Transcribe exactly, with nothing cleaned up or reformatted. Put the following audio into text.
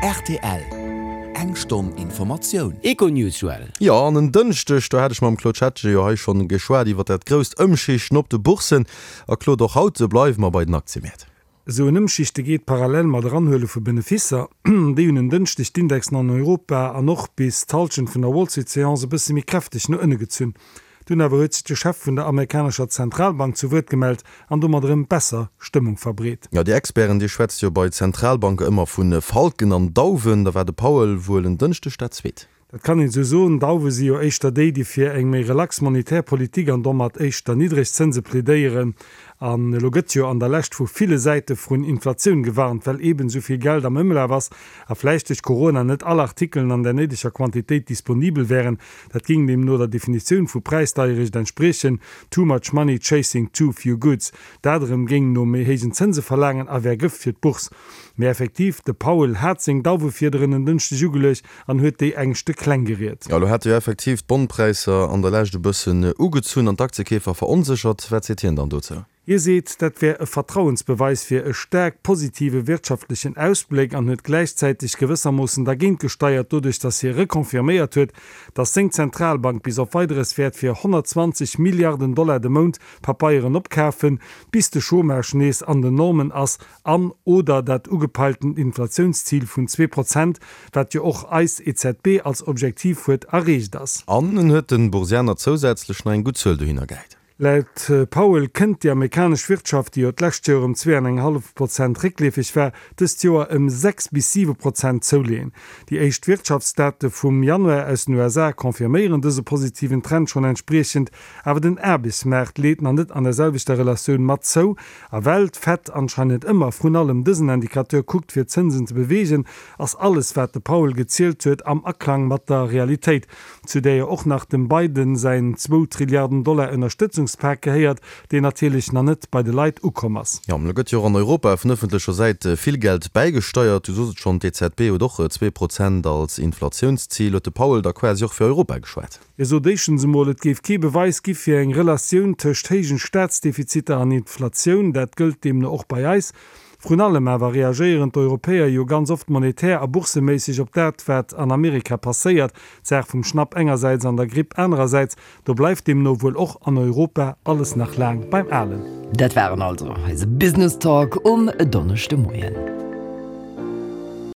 Rtl, Eng Stonn Informatioun. Econews, Joël. Jo, an en Dënschdeg, do hat ech mam Claude Schettgen jo hei schonn geschwat iwwer dat grousst Ëmschichten op de Bourssen. A Claude, och haut bleiwe mer bei den Aktiëmäert. Esou en Ëmschichte geet parallel mat Eranhuele vu Beneficer. Déi hunn en Dënschdeg d'Indexen an Europa an och bis d'Hallschent vun der Wall Street Seance e bësse méi kräfteg no ënne gezunn. Dunn awer huet sech de Chef vun der amerikanescher Zentralbank zu Wuert gemellt an domat erëm besser Stëmmung verbreet. Jo, déi Experten, déi schwätze jo bei Zentralbanke ëmmer vu Falken an Dauwen. Da war de Powell wuel en Dënschdeg dat Zweet. Dat kann een esou soen. Dauwe si jo éischter déi, déi fir eng méi relax monetär Politik an domat éischter niddreg Zënse plädéieren. An elo gëtt jo an der Lescht vu ville Säite vrun Inflatioun gewarnt, well eeben esou vill Geld am Ëmlaf ass a vläicht duerch Corona net all Artikelen an der néideger Quantitéit disponibel wären. Dat géing deemno der Definitioun vu Präisdeierecht entspriechen, too much money chasing too few goods. Dat erëm géing no méi héijen Zënse verlaangen a wär Gëft fir d'Bourse. Mee effektiv, de Powell hat seng Dauwefiederen en Dënschdeg ugeluecht an huet déi Ängschte kleng geriet. Jo, elo hat jo effektiv d'Bondpräisser an der Lescht e bëssen ugezunn an d'Aktiekeefer veronséchert. Wat seet hien dann dozou? Hie seet, dat wär e Vertrauensbeweis fir e staark positive wirtschaftlechen Ausbléck an huet gläichzäiteg gewëssermoossen dergéint gesteiert, doduerch datt hie reconfirméiert huet, datt seng Zentralbank bis op Weideres wäert fir honnertzwanzeg Milliarden Dollar de Mount Papeieren opkafen, bis de Chômage nees an den Normen ass an, oder dat ugepeilten Inflatiounszil vun zwee Prozent, wat jo och eis E Z B als Objektiv huet, erreecht ass. An en huet de Boursianer zousätzlech nach eng gutt Zuel dohinner gehäit. Laut Powell kënnt déi amerikanesch Wirtschaft, déi jo d'lescht Joer ëm zwee an eng hallef Prozent réckleefeg war, dëst Joer ëm sechs bis siwe Prozent zouleeën. Déi éischt Wirtschaftsdate vum Januar aus den U S A confirméieren dëse positiven Trend schonn entspriechend, awer den Aarbechtsmaart leet nach net an der selwechter Relatioun mat zou. A well d'Fed anscheinend ëmmer vrun allem dësen Indicateur kuckt fir d'Zënsen ze beweegen, ass alles wat de Powell gezielt huet am Aklang mat der Realitéit, zu där jo och nach dem Biden säin zwou Trilliarden Dollar Ënnerstëtzungspak gehéiert, deen natierlech nach net bei de Leit ukomm ass. Jo, elo gëtt jo och an Europa vun ëffentlecher Säit vill Geld bäigesteiert. Du soos et schonn, d'E Z B huet och zwee Prozent als Inflatiounszil. Huet de Powell da quasi och fir Europa geschwat? Hie sot éischtens emol, et géif kee Beweis gi fir eng Relatioun tëscht héijen Staatsdefiziter an Inflatioun. Dat gëllt deemno och bei eis. Vrun allem awer reagéieren d'Europäer jo ganz oft monetär a bourseméisseg op dat, wat an Amerika passéiert, d'Saach vum Schnapp engersäits an der Gripp anerersäits. Do bleift deemno wuel och an Europa alles nach laang beim Alen. Dat waren also eise Business Talk um Donneschdemoien.